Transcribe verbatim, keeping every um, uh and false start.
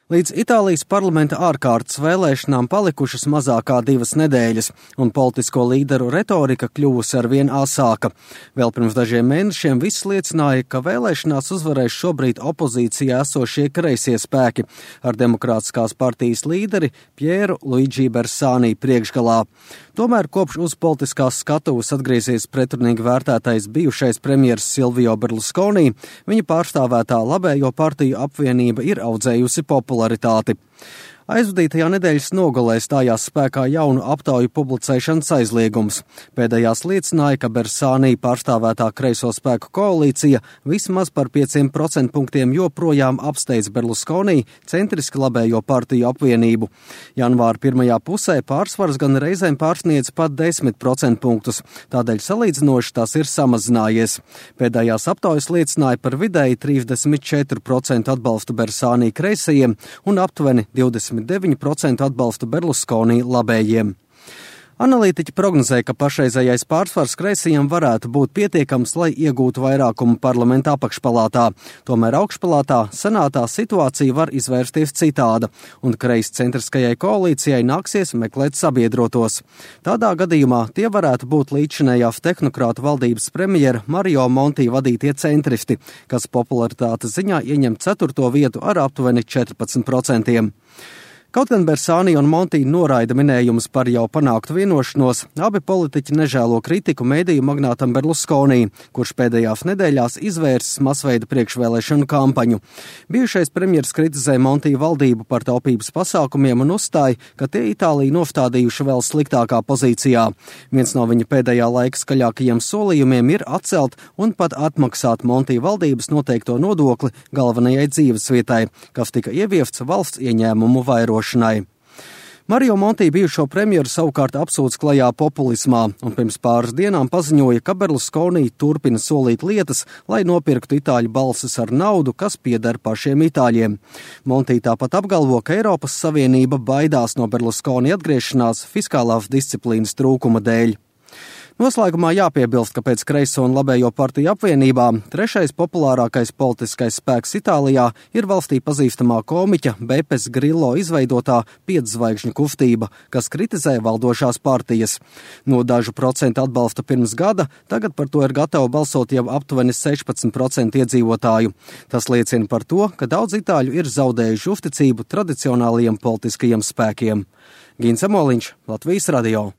Līdz Itālijas parlamenta ārkārtas vēlēšanām palikušas mazākā divas nedēļas, un politisko līderu retorika kļuvusi arvien asāka. Vēl pirms dažiem mēnešiem viss liecināja, ka vēlēšanās uzvarēs šobrīd opozīcijā esošie kreisie spēki ar demokrātiskās partijas līderi Pieru Luigi Bersani priekšgalā. Tomēr kopš uz politiskās skatuves atgriezies pretrunīgi vērtētais bijušais premjers Silvio Berlusconi, viņa pārstāvētā labējo partiju apvienība ir audzējusi popularitāti. Aizvadītajā nedēļas nogalē stājās spēkā jaunu aptauju publicēšanas aizliegums. Pēdējās liecināja, ka Bersani pārstāvētā kreiso spēku koalīcija vismaz par pieciem procentpunktiem joprojām apsteidz Berlusconi centriski labējo partiju apvienību. Janvāra pirmajā pusē pārsvars gan reizēm pārsniedz pat desmit procentpunktus, tādēļ salīdzinoši tas ir samazinājies. Pēdējās aptaujas liecināja par vidēji trīsdesmit četru procentu atbalstu Bersani kreisajiem un aptuveni divdesmit deviņi procenti atbalstu Berlusconi labējiem. Analītiķi prognozē, ka pašreizējais pārsvars kreisajiem varētu būt pietiekams, lai iegūtu vairākumu parlamenta apakšpalātā. Tomēr augšpalātā, senātā situācija var izvērsties citāda, un kreiscentriskajai koalīcijai nāksies meklēt sabiedrotos. Tādā gadījumā tie varētu būt līdzinējās tehnokrātu valdības premjera Mario Monti vadītie centristi, kas popularitātes ziņā ieņem ceturto vietu ar aptuveni četrpadsmit procentiem. Kaut gan Bersani un Monti noraida minējumus par jau panāktu vienošanos, abi politiķi nežēlo kritiku mediju magnātam Berlusconi, kurš pēdējās nedēļās izvērsis masveida priekšvēlēšanu kampaņu. Bijušais premjers kritizē Monti valdību par taupības pasākumiem un uzstāja, ka tie Itāliju nostādījuši vēl sliktākā pozīcijā. Viens no viņa pēdējā laika skaļākajiem solījumiem ir atcelt un pat atmaksāt Monti valdības noteikto nodokli galvenajai dzīvesvietai, kas tika ieviests valsts ieņēmumu vairošanai. Mario Monti bijušo premjeru savukārt apsūdz klajā populismā un pirms pāris dienām paziņoja, ka Berlusconi turpina solīt lietas, lai nopirktu itāļu balsis ar naudu, kas pieder pašiem itāļiem. Monti tāpat apgalvo, ka Eiropas Savienība baidās no Berlusconi atgriešanās fiskālās disciplīnas trūkuma dēļ. Noslēgumā jāpiebilst, ka pēc kreiso un labējo partiju apvienībām trešais populārākais politiskais spēks Itālijā ir valstī pazīstamā komiķa Bepes Grillo izveidotā pietzvaigžņu kustība, kas kritizē valdošās partijas. No dažu procentu atbalsta pirms gada, tagad par to ir gatavi balsot jau aptuveni sešpadsmit procenti iedzīvotāju. Tas liecina par to, ka daudz itāļu ir zaudējuši uzticību tradicionālajiem politiskajiem spēkiem. Gins Amoliņš, Latvijas radio.